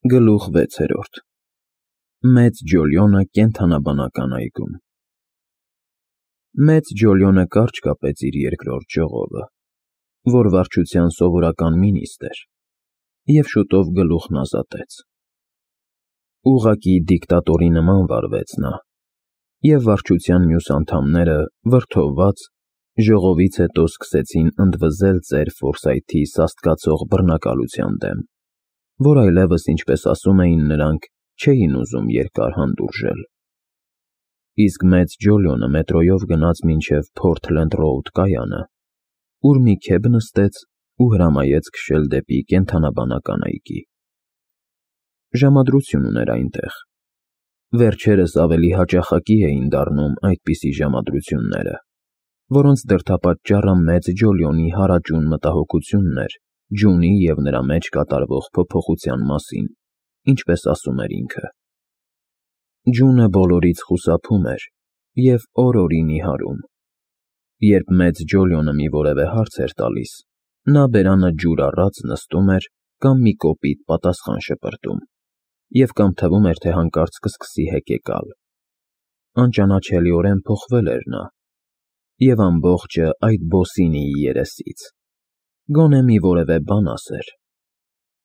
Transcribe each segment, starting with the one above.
Գլուխ 6. Մեծ Ջոլիոնը կենդանաբանական այգում։ Մեծ Ջոլիոնը կարճ կապեց իր երկրորդ ճյուղովը, որ վարչության սովորական մինիստ էր, և շուտով գլուխն ազատեց։ Ուղղակի դիկտատորի նման վարվեց նա, և վարչության մյուս անդամները, վրդովված, ժողովից հետո սկսեցին ընդվզել ծեր Ֆորսայթի սաստկացող բռնակալության դեմ, որ այլևս, ինչպես ասում էին նրանք, չէին ուզում երկար հանդուրժել։ Իսկ մեծ Ջոլիոնը մետրոյով գնաց մինչև Փորթլենդ Ռոուդ կայանը, ուր մի քեֆ նստեց ու հրամայեց քշել դեպի կենդանաբանական այգի։ Ժամադրություն ուներ այնտեղ։ Վերջերս ավելի հաճախակի էին դառնում այդպիսի ժամադրությունները, որոնց դրդապատճառը մեծ Ջոլիոնի հարաճուն մտահոգությունն էր ջունի և նրա մեջ կատարվող փոփոխության մասին, ինչպես ասում էր ինքը։ Ջունը բոլորից խուսափում էր և օր-օրի նիհարում։ Երբ մեծ Ջոլիոնը մի որևէ հարց էր տալիս, նա բերանը ջուր առած նստում էր կամ մի կոպիտ պատասխան շպրտում, և կամ թվում էր, թե հանկարծ կսկսի հեկեկալ։ Անճանաչելիորեն փոխվել էր նա, և ամբողջը այդ բոսինիի երեսից։ Գոնե մի որևէ բան ասեր,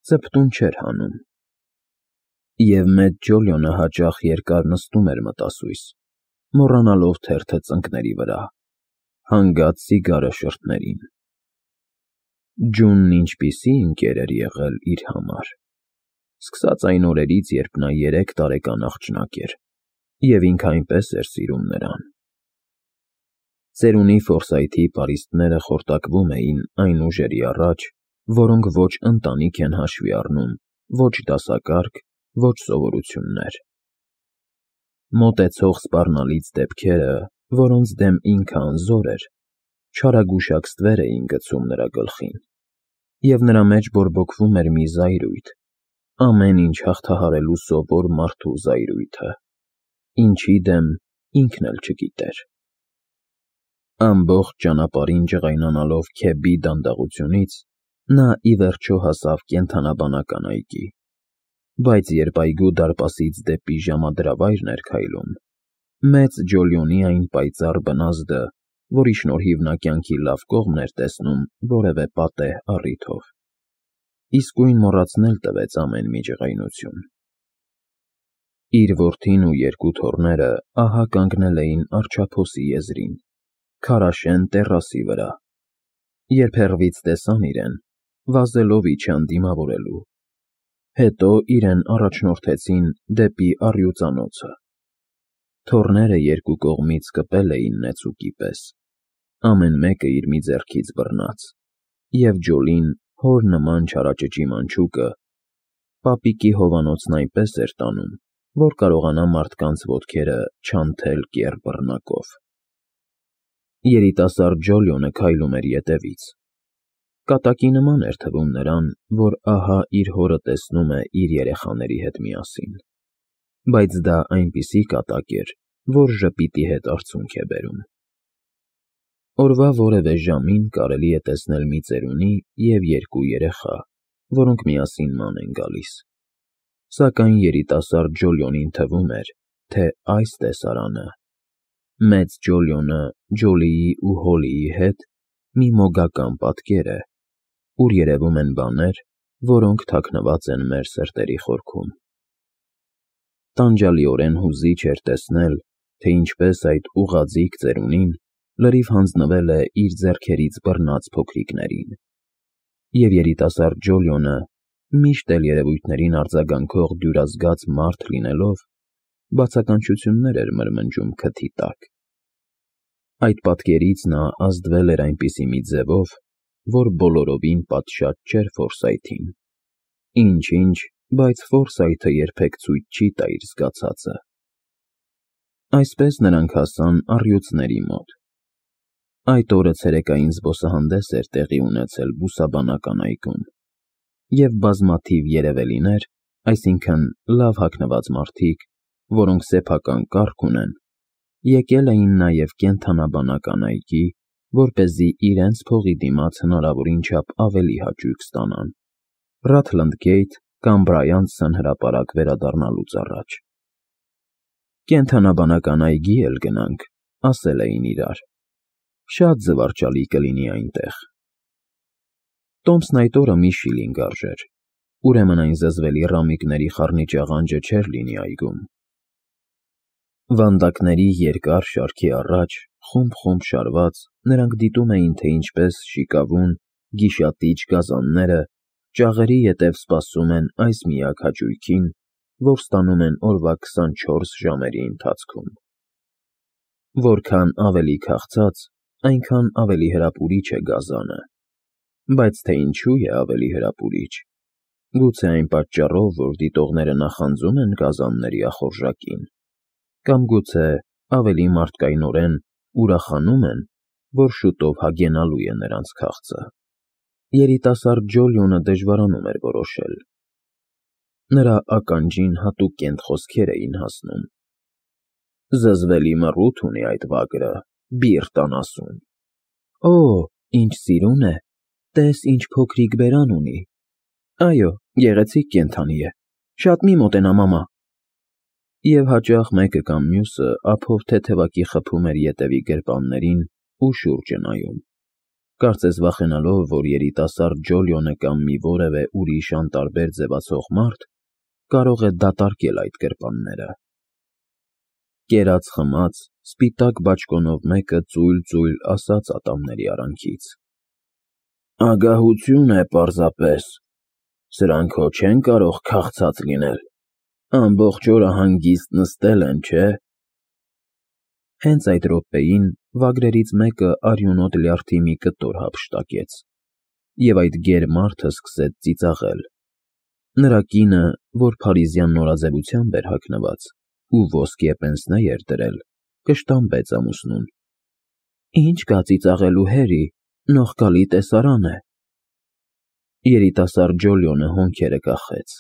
ծպտուն չէր հանում։ Եվ մեծ Ջոլիոնը հաճախ երկար նստում էր մտասույս, մոռանալով թերթը ծնկների վրա, հանգած սիգարը շրթներին։ Ջունն ինչպիսի ընկեր էր եղել իր համար, սկսած այն օրերից, երբ նա 3 տարեկան աղջնակ էր, և ինքը այնպես էր սիրում նրան։ Ծերունի Ֆորսայթի պարիսպները խորտակվում էին այն ուժերի առաջ, որոնք ոչ ընտանիք են հաշվի առնում, ոչ դասակարգ, ոչ սովորություններ։ Մոտեցող սպառնալից դեպքերը, որոնց դեմ ինքը անզոր էր, չարագուշակ ստվեր էին գցում նրա գլխին, և նրա մեջ բորբոքվում էր մի զայրույթ, ամեն ինչ հաղթահարելու սովոր մարդու զայրույթը, ինչի դեմ ինքն էլ չգիտեր։ Ամբողջ ճանապարհին ջղայնանալով Քեբի դանդաղությունից, նա ի վերջո հասավ կենդանաբանական այգի, բայց երբ այգու դարպասից դեպի ժամադրավայրն էր քայլում, մեծ Ջոլիոնի այն պայծառ բնազդը, որի շնորհիվ նա կյանքի լավ կողմն էր տեսնում որևէ պատեհ առիթով, իսկույն մոռացնել տվեց ամեն մի ջղայնություն։ Իր որդին ու 2 թոռները ահա կանգնել էին առջափոսի եզրին, քարաշեն տեռասի վրա, երբ հեռվից տեսան իրեն, վազելով իջան դիմավորելու, հետո իրեն առաջնորդեցին դեպի առյուծանոցը։ Թոռները 2 կողմից կպել էին նեցուկի պես, ամեն մեկը իր մի ձեռքից բռնած, և Ջոլին հոր նման չարաճճի մանչուկը պապիկի հովանոցն այնպես էր տանում, որ կարողանա մարդկանց ոտքերը չանթել կեռ բռնակով։ Երիտասարդ Ջոլիոնը քայլում էր ետևից։ Կատակի նման էր թվում նրան, որ ահա իր հորը տեսնում է իր երեխաների հետ միասին, բայց դա այնպիսի կատակ էր, որ ժպիտի հետ արցունք է բերում։ Օրվա որևէ ժամին կարելի է տեսնել մի ծերունի և 2 երեխա, որոնք միասին ման են գալիս, սակայն երիտասարդ Ջոլիոնին թվում էր, թե այս տեսարանը մեծ Ջոլիոնը Ջոլիի ու Հոլիի հետ մի մոգական պատկեր է, ուր երևում են բաներ, որոնք թաքնված են մեր սրտերի խորքում։ Տանջալիորեն հուզիչ էր տեսնել, թե ինչպես այդ ուղղաձիգ ծերունին լրիվ հանձնվել է իր ձեռքերից բռնած փոքրիկներին, և երիտասարդ Ջոլիոնը, միշտ էլ երևույթներին արձագանքող դյուրազգաց մարդ լինելով, բացականչություններ էր մրմնջում քթի տակ։ Այդ պատկերից նա ազդվել էր այնպիսի մի ձևով, որ բոլորովին պատշաճ չէր Ֆորսայթին։ Ինչ-ինչ, բայց Ֆորսայթը երբեք ցույց չի տա իր զգացածը։ Այսպես նրանք հասան առյուծների մոտ։ Այդ օրը ցերեկային զբոսահանդես էր տեղի ունեցել բուսաբանական այգում, և բազմաթիվ երևելիներ, այսինքն լավ հագնված մարդիկ, որոնք սեփական կարգ ունեն, եկել էին նաև կենդանաբանական այգի, որպեսզի իրենց փողի դիմաց հնարավորին չափ ավելի հաճույք ստանան, Ռաթլընդգեյթ կամ Բրայանցն հրապարակ վերադառնալուց առաջ։ Կենդանաբանական այգի էլ գնանք, ասել էին իրար։ Շատ զվարճալի կլինի այնտեղ։ Տոմսն այդ օրը մի շիլինգ արժեր, ուրեմն այն զզվելի ռամիկների խառնիճ աղանջը չէր լինի այգում։ Վանդակների երկար շարքի առաջ, խումբ շարված, նրանք դիտում էին, թե ինչպես շիկավուն, գիշատիչ գազանները ճաղերի ետև սպասում են այս միակ հաճույքին, որ ստանում են օրվա 24 ժամերի ընթացքում։ Որքան ավելի քաղցած, այնքան ավելի հրապուրիչ է գազանը, բայց թե ինչու է ավելի հրապուրիչ, գուցե այն պատճառով, որ դիտողները նախանձում են գազանների ախորժակին, կամ գուցե ավելի մարդկայնորեն ուրախանում են, որ շուտով հագենալու է նրանց քաղցը։ Երիտասարդ Ջոլիոնը դժվարանում էր որոշել։ Նրա ականջին հատուկ կենտ խոսքեր էին հասնում. «Զզվելի մռութ ունի այդ վագրը, բիրտ անասուն»։ «Օ, ինչ սիրուն է, տես ինչ փոքրիկ բերան ունի»։ «Այո, գեղեցիկ կենդանի է, շատ մի մոտենա, մամա»։ Եվ հաճախ մեկը կամ մյուսը ափով թեթևակի խփում էր ետևի գրպաններին ու շուրջը նայում, կարծես վախենալով, որ երիտասարդ Ջոլիոնը կամ մի որևէ ուրիշ անտարբեր ձևացող մարդ կարող է դատարկել այդ գրպանները։ Կերած-խմած, սպիտակ բաճկոնով մեկը ծույլ ասաց ատամների արանքից. «Ագահություն է պարզապես, սրանք հո չեն կարող քաղցած լինել, ամբողջ օրը հանգիստ նստել են, չէ»։ Հենց այդ րոպեին վագրերից մեկը արյունոտ լյարդի մի կտոր հափշտակեց, և այդ գեր մարդը սկսեց ծիծաղել։ Նրա կինը, որ փարիզյան նորաձևությամբ էր հագնված ու ոսկե պենսնե էր դրել, կշտամբեց ամուսնուն. «Ինչ կա ծիծաղելու, Հերի, նողկալի տեսարան է»։ Երիտասարդ Ջոլիոնը հոնքերը կախեց։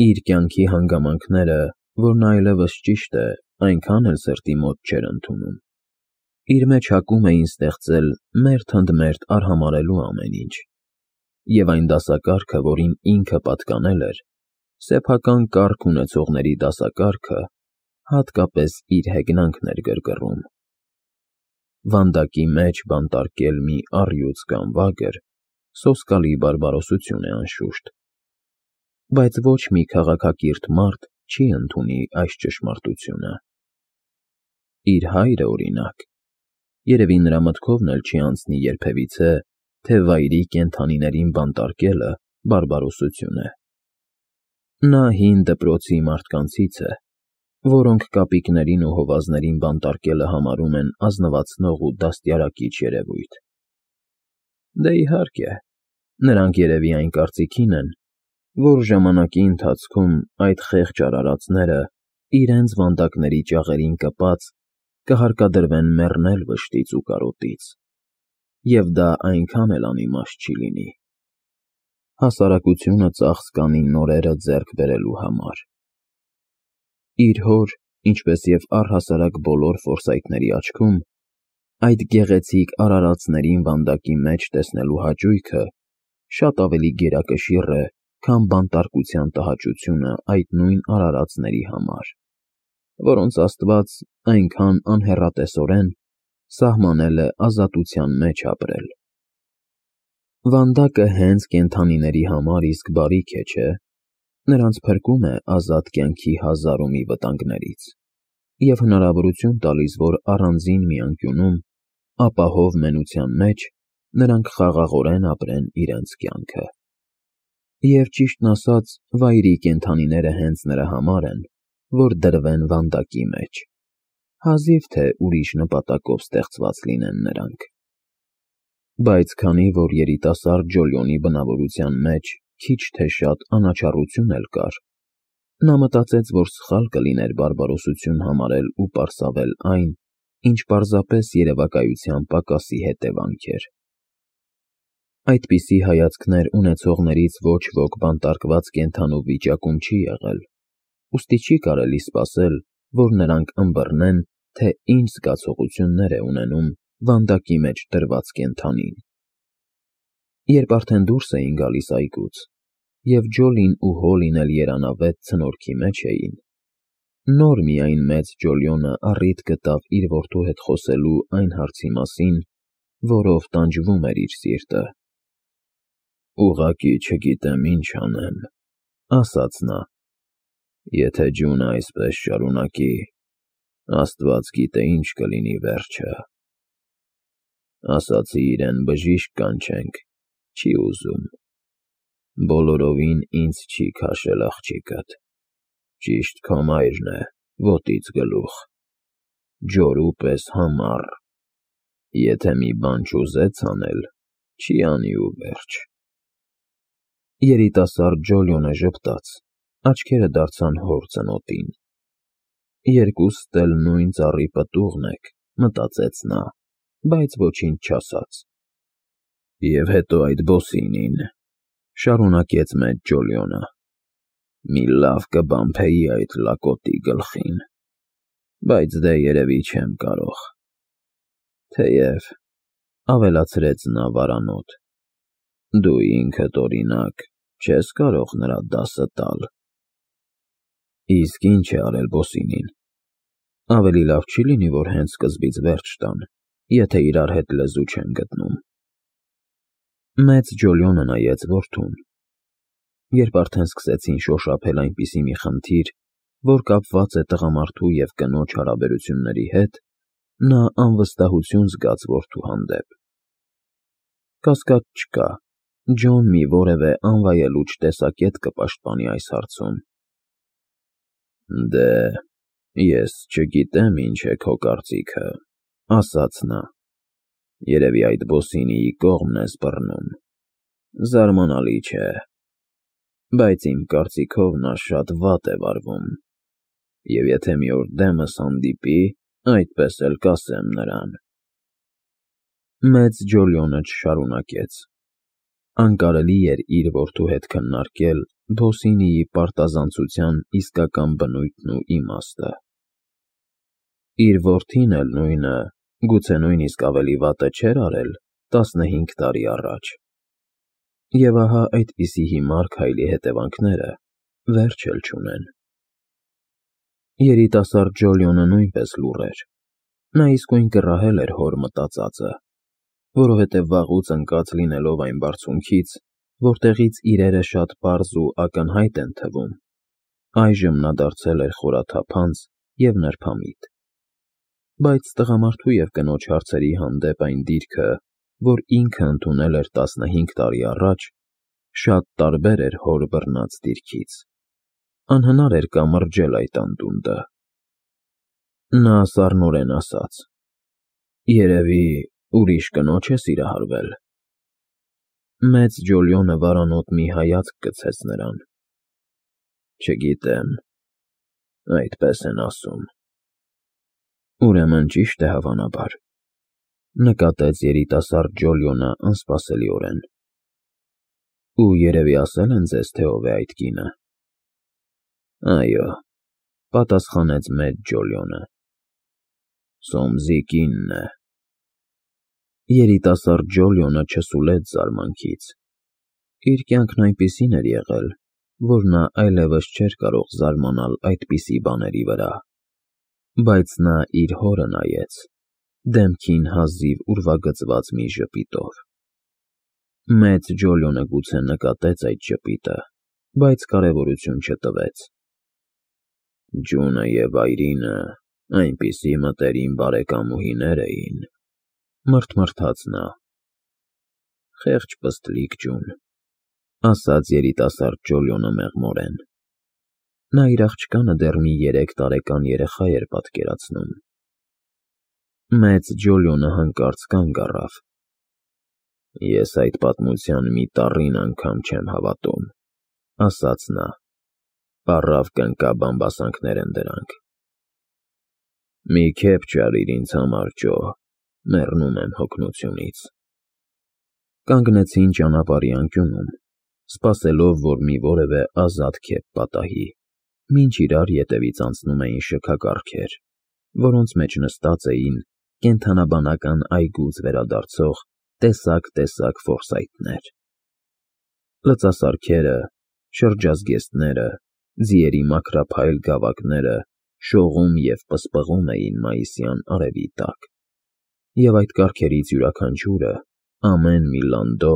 Իր կյանքի հանգամանքները, որն այլևս ճիշտ է, այնքան էլ սրտի մոտ չէր ընդունում։ Իր մեջ հակում էին ստեղծել մերթ ընդ մերթ արհամարհելու ամեն ինչ, և այն դասակարգը, որին ինքը պատկանել էր, սեփական կարգ ունեցողների դասակարգը, հատկապես իր հեգնանքն էր գրգռում։ Վանդակի մեջ բանտարկել մի առյուծ կամ վագր սոսկալի բարբարոսություն է անշուշտ, բայց ոչ մի քաղաքակիրթ մարդ չի ընդունի այս ճշմարտությունը։ Իր հայրը, օրինակ, երևի նրա մտքովն էլ չի անցնի երբևիցե, թե վայրի կենդանիներին բանտարկելը բարբարոսություն է։ Նա հին դպրոցի մարդկանցից է, որոնք կապիկներին ու հովազներին բանտարկելը համարում են ազնվացնող ու դաստիարակիչ երևույթ։ Դե իհարկե, նրանք երևի այն կարծիքին են, որ ժամանակի ընթացքում այդ խեղճ արարածները իրենց վանդակների ճաղերին կպած կհարկադրվեն մեռնել վշտից ու կարոտից, և դա այնքան էլ անիմաստ չի լինի։ Հասարակությունը ծախս կանի նորերը ձեռք բերելու համար։ Իր հոր, ինչպես և առհասարակ բոլոր ֆորսայթների աչքում, այդ գեղեցիկ արարածներին վանդակի մեջ տեսնելու հաճույքը շատ ավելի գերակշիռ է, քան բանտարկության տհաճությունը այդ նույն արարածների համար, որոնց Աստված այնքան անհեռատեսորեն սահմանել է ազատության մեջ ապրել։ Վանդակը հենց կենդանիների համար իսկ բարիք է, չէ՞։ Նրանց փրկում է ազատ կյանքի հազար ու մի վտանգներից և հնարավորություն տալիս, որ առանձին մի անկյունում, ապահով մենության մեջ նրանք խաղաղորեն ապրեն իրենց կյանքը։ Եվ ճիշտն ասած, վայրի կենդանիները հենց նրա համար են, որ դրվեն վանդակի մեջ, հազիվ թե ուրիշ նպատակով ստեղծված լինեն նրանք։ Բայց քանի որ երիտասարդ Ջոլիոնի բնավորության մեջ քիչ թե շատ անաչառություն էլ կար, նա մտածեց, որ սխալ կլիներ բարբարոսություն համարել ու պարսավել այն, ինչ պարզապես երևակայության պակասի հետևանք էր։ Այդպիսի հայացքներ ունեցողներից ոչ ոք բանտարկված կենդանու վիճակում չի եղել, ուստի չի կարելի սպասել, որ նրանք ըմբռնեն, թե ինչ զգացողություններ է ունենում վանդակի մեջ դրված կենդանին։ Երբ արդեն դուրս էին գալիս այգուց, և Ջոլին ու Հոլին էլ երանավետ ցնորքի մեջ էին։ Նոր միայն մեծ Ջոլիոնը առիթ գտավ իր որդու հետ խոսելու այն հարցի մասին, որով տանջվում էր իր սիրտը։ «Ուղղակի չգիտեմ ինչ անեմ,» ասաց նա։ «Եթե ջունը այսպես շարունակի, Աստված գիտե ինչ կլինի վերջը։ Ասացի իրեն բժիշկ կանչենք, չի ուզում։ Բոլորովին ինձ չի քաշել աղջիկդ։ Ճիշտ քո մայրն է, ոտից գլուխ, ջորու պես համառ, եթե մի բան չուզեց անել, չի անի ու վերջ»։ Երիտասարդ Ջոլիոնը ժպտաց, աչքերը դարձան հոր ծնոտին։ «Երկուստ էլ նույն ծառի պտուղն եք», մտածեց նա, բայց ոչինչ չասաց։ «Եվ հետո այդ բոսինին,» շարունակեց մեծ Ջոլիոնը, «մի լավ կբամբեի այդ լակոտի գլխին, բայց դե երևի չեմ կարող։ Թեև,» ավելացրեց նա վարանոտ, «դու ինքդ, օրինակ, չես կարող նրա դասը տալ»։ «Իսկ ինչ է արել բոսինին։ Ավելի լավ չի լինի, որ հենց սկզբից վերջ տան, եթե իրար հետ լեզու չեն գտնում»։ Մեծ Ջոլիոնը նայեց որդուն։ Երբ արդեն սկսեցին շոշափել այնպիսի մի խնդիր, որ կապված է տղամարդու և կնոջ հարաբերությունների հետ, նա անվստահություն զգաց որդու հանդեպ։ Կասկած չկա, Ջոն մի որևէ անվայելուչ տեսակետ կպաշտպանի այս հարցում։ «Դե, ես չգիտեմ ինչ է քո կարծիքը,» ասաց նա։ «Երևի այդ բոսինիի կողմն ես բռնում։ Զարմանալի չէ, բայց իմ կարծիքով նա շատ վատ է վարվում, և եթե մի օր դեմս հանդիպի, այդպես էլ կասեմ նրան»։ Մեծ Ջոլիոնը չշարունակեց։ Անկարելի էր իր որդու հետ քննարկել բոսինիի պարտազանցության իսկական բնույթն ու իմաստը։ Իր որդին էլ նույնը, գուցե նույնիսկ ավելի վատը չէր արել 15 տարի առաջ։ Եվ ահա այդպիսի հիմար քայլի հետևանքները վերջ էլ չունեն։ Երիտասարդ Ջոլիոնը նույնպես լուռ էր։ Նա իսկույն կռահել էր հոր մտածածը, որովհետև վաղուց ընկած լինելով այն բարձունքից, որտեղից իրերը շատ պարզ ու ակնհայտ են թվում, այժմ նա դարձել էր խորաթափանց և նրբամիտ։ Բայց տղամարդու և կնոջ հարցերի հանդեպ այն դիրքը, որ ինքը ընդունել էր 15 տարի առաջ, շատ տարբեր էր հոր բռնած դիրքից։ Անհնար էր կամրջել այդ անդունդը։ Նա սառնորեն ասաց. «Երևի ուրիշ կնոջ է սիրահարվել»։ Մեծ Ջոլիոնը վարանոտ մի հայացք գցեց նրան։ «Չգիտեմ, այդպես են ասում»։ «Ուրեմն ճիշտ է հավանաբար», նկատեց երիտասարդ Ջոլիոնը անսպասելիորեն։ «Ու երևի ասել են ձեզ, թե ով է այդ կինը»։ «Այո», պատասխանեց մեծ Ջոլիոնը, «Սոմսի կինն է»։ Երիտասարդ Ջոլիոնը չսուլեց զարմանքից։ Իր կյանքն այնպիսին էր եղել, որ նա այլևս չէր կարող զարմանալ այդպիսի բաների վրա։ Բայց նա իր հորը նայեց, դեմքին հազիվ ուրվագծված մի ժպիտով։ Մեծ Ջոլիոնը գուցե նկատեց այդ ժպիտը, բայց կարևորություն չտվեց։ «Ջունը և այրինը այնպիսի մտերիմ բարեկամուհիներ էին», մռթմռթաց նա։ «Խեղճ պստլիկ ջուն», ասաց երիտասարդ Ջոլիոնը մեղմորեն։ Նա իր աղջկանը դեռ մի 3 տարեկան երեխա էր պատկերացնում։ Մեծ Ջոլիոնը հանկարծ կանգ առավ։ «Ես այդ պատմության մի տառին անգամ չեմ հավատում», ասաց նա։ «Պառավ կնկա բամբասանքներ են դրանք»։ «Մի քեֆ ճարիր ինձ համար, Ջո, մեռնում եմ հոգնությունից»։ Կանգնեցին ճանապարհի անկյունում, սպասելով, որ մի որևէ ազատ քեֆ պատահի, մինչ իրար ետևից անցնում էին շքակառքեր, որոնց մեջ նստած էին կենդանաբանական այգուց վերադարձող տեսակ֊տեսակ ֆորսայթներ։ Լծասարքերը, Շրջազգեստները, ձիերի մաքրափայլ գավակները շողում և պսպղում էին մայիսյան արևի տակ, և այդ կառքերից յուրաքանչյուրը, ամեն մի լանդո,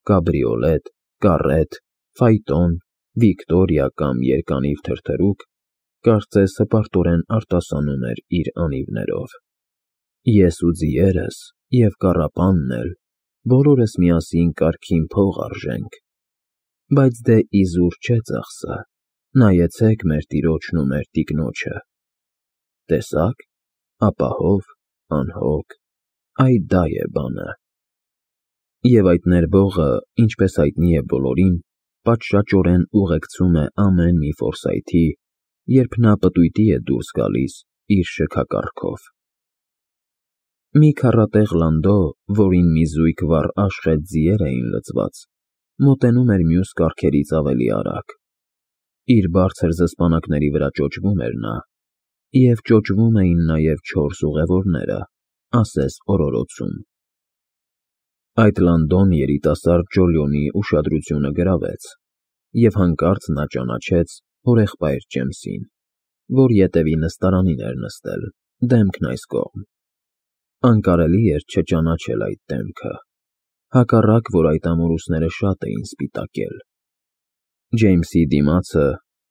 կաբրիոլետ, կառետ, ֆայտոն, Վիկտորիա կամ երկանիվ թրթռուք, կարծես հպարտորեն արտասանում էր իր անիվներով։ Ես ու ձիերս, և կառապանն էլ, բոլորս միասին կարգին փող արժենք, բայց դե իզուր չէ ծախսը, նայեցեք մեր տիրոջն ու մեր տիկնոջը, տեսա՞ք, ապահով, անհոգ, այ դա է բանը։ Եվ այդ ներվողը, ինչպես հայտնի է բոլորին, պատշաճորեն ուղեկցում է ամեն մի Ֆորսայթի, երբ նա պտույտի է դուրս գալիս իր շքակառքով։ Մի քառատեղ լանդո, որին մի զույգ վառ աշխատ ձիեր էին լցված, մոտենում էր մյուս կառքերից ավելի արագ։ Իր բարձր զսպանակների վրա ճոճվում էր նա, և ճոճվում էին նաև 4 ուղևորները, ասես օրորոցում։ Այդ լանդոն երիտասարդ Ջոլիոնի ուշադրությունը գրավեց, և հանկարծ նա ճանաչեց հորեղբայր Ջեյմսին, որ ետևի նստարանին էր նստել, դեմքն այս կողմ։ Անկարելի էր չճանաչել այդ դեմքը, հակառակ որ այդ ամորուսները շատ էին սպիտակել։ Ջեյմսի դիմացը,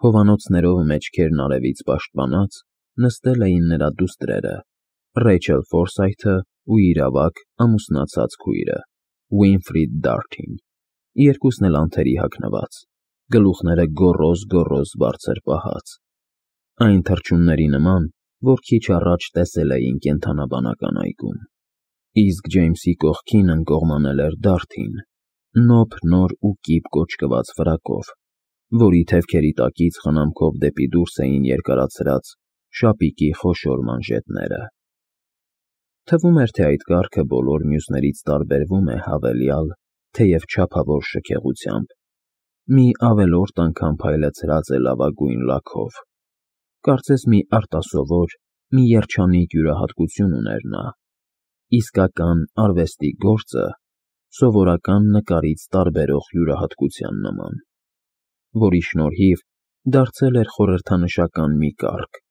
հովանոցներով մեջքերն արևից պաշտպանած, նստել էին նրա դուստրերը, Ռեյչել Ֆորսայթը ու իր ավագ ամուսնացած քույրը, Ուինֆրիդ Դարթին, երկուսն էլ անթերի հագնված, գլուխները գոռոզ բարձր պահած, այն թռչունների նման, որ քիչ առաջ տեսել էին կենդանաբանական այգում։ Իսկ Ջեյմսի կողքին ընկողմանել էր Դարթին, նոբ նոր ու կիպ կոճկված ֆրակով, որի թևքերի տակից խնամքով դեպի դուրս էին երկարացրած շապիկի խոշոր մանժետները։ Թվում էր, թե այդ կառքը բոլոր մյուսներից տարբերվում է հավելյալ, թեև չափավոր շքեղությամբ, մի ավելորդ անգամ փայլեցրած է լավագույն լաքով, կարծես մի արտասովոր, մի երջանիկ յուրահատկություն ուներ նա, իսկական արվեստի գործը սովորական նկարից տարբերող յուրահատկության նման, որի շնորհիվ դարձել էր խորհրդանշական մի կառք,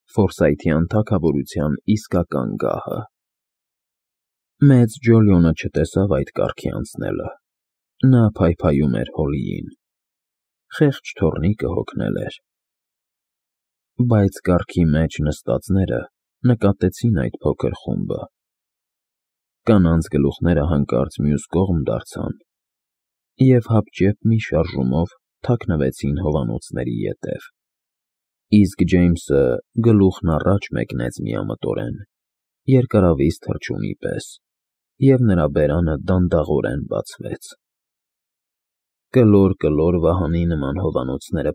Ֆորսայթյան թագավորության իսկական գահը։ Մեծ Ջոլիոնը չտեսավ այդ կառքի անցնելը, նա փայփայում էր Հոլիին, խեղճ թոռնիկը հոգնել էր։ Բայց կառքի մեջ նստածները նկատեցին այդ փոքր խումբը։ Կանանց գլուխները հանկարծ մյուս կողմ դարձան և հապճեպ մի շարժումով թաքնվեցին հովանոցների ետև, իսկ Ջեյմսը գլուխն առաջ մեկնեց միամտորեն, երկարավիզ թռչունի պես, և նրա բերանը դանդաղորեն բացվեց։ Կլոր վահանի նման հովանոցները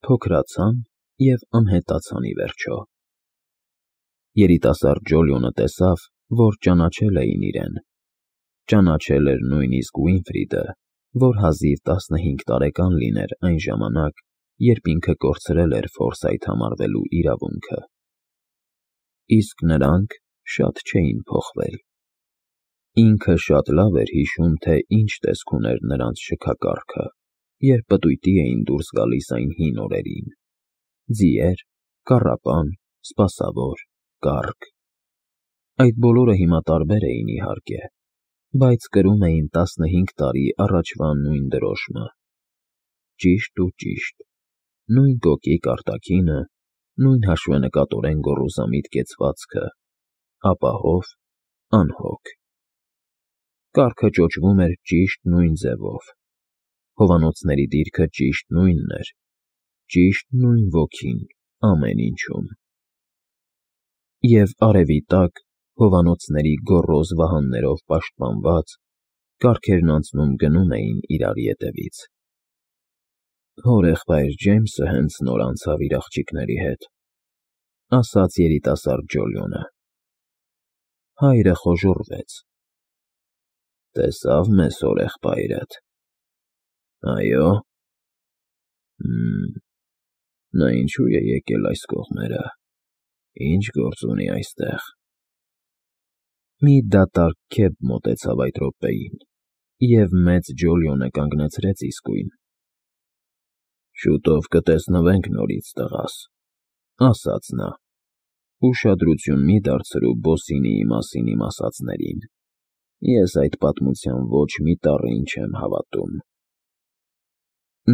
փոքրացան և անհետացան ի վերջո։ Երիտասարդ Ջոլիոնը տեսավ, որ ճանաչել էին իրեն, ճանաչել էր նույնիսկ Ուինֆրիդը, որ հազիվ 15 տարեկան լիներ այն ժամանակ, երբ ինքը կորցրել էր Ֆորսայթ համարվելու իրավունքը։ Իսկ նրանք շատ չէին փոխվել։ Ինքը շատ լավ էր հիշում, թե ինչ տեսք ուներ նրանց շքակառքը, երբ պտույտի էին դուրս գալիս այն հին օրերին. ձիեր, կառապան, սպասավոր, կառք։ Այդ բոլորը հիմա տարբեր էին, իհարկե, բայց կրում էին 15 տարի առաջվա նույն դրոշմը։ Ճիշտ ու ճիշտ, նույն կոկիկ արտաքինը, նույն հաշվենկատորեն գոռոզամիտ կեցվածքը, ապահով, անհոգ։ Կառքը ճոճվում էր ճիշտ նույն ձևով, հովանոցների դիրքը ճիշտ նույնն էր, ճիշտ նույն ոգին ամեն ինչում։ Եվ արևի տակ, հովանոցների գոռոզ վահաններով պաշտպանված, կառքերն անցնում գնում էին իրար ետևից։ Հորեղբայր Ջեյմսը հենց նոր անցավ իր աղջիկների հետ, ասաց երիտասարդ Ջոլիոնը։ Հայրը խոժոռվեց։ Տեսավ մեզ հորեղբայրդ։ Այո։ Նա ինչու է եկել այս կողմերը, ինչ գործ ունի այստեղ։ Մի դատարկ քեֆ մոտեցավ այդ րոպեին, և մեծ Ջոլիոնը կանգնեցրեց իսկույն, Շուտով կտեսնվենք նորից, տղաս, ասաց նա, ուշադրություն մի դարձրու Բոսինիի մասին իմ ասածներին, ես այդ պատմության ոչ մի տառին չեմ հավատում։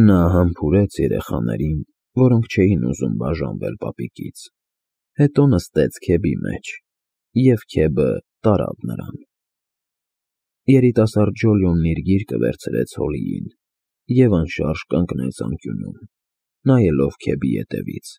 Նա համբուրեց երեխաներին, որոնք չէին ուզում բաժանվել պապիկից, հետո նստեց քեբի մեջ, և քեբը տարավ նրան։ Երիտասարդ Ջոլիոնն իր գիրկը վերցրեց Հոլիին և անշարժ կանգնեց անկյունում, նայելով քեբի ետևից։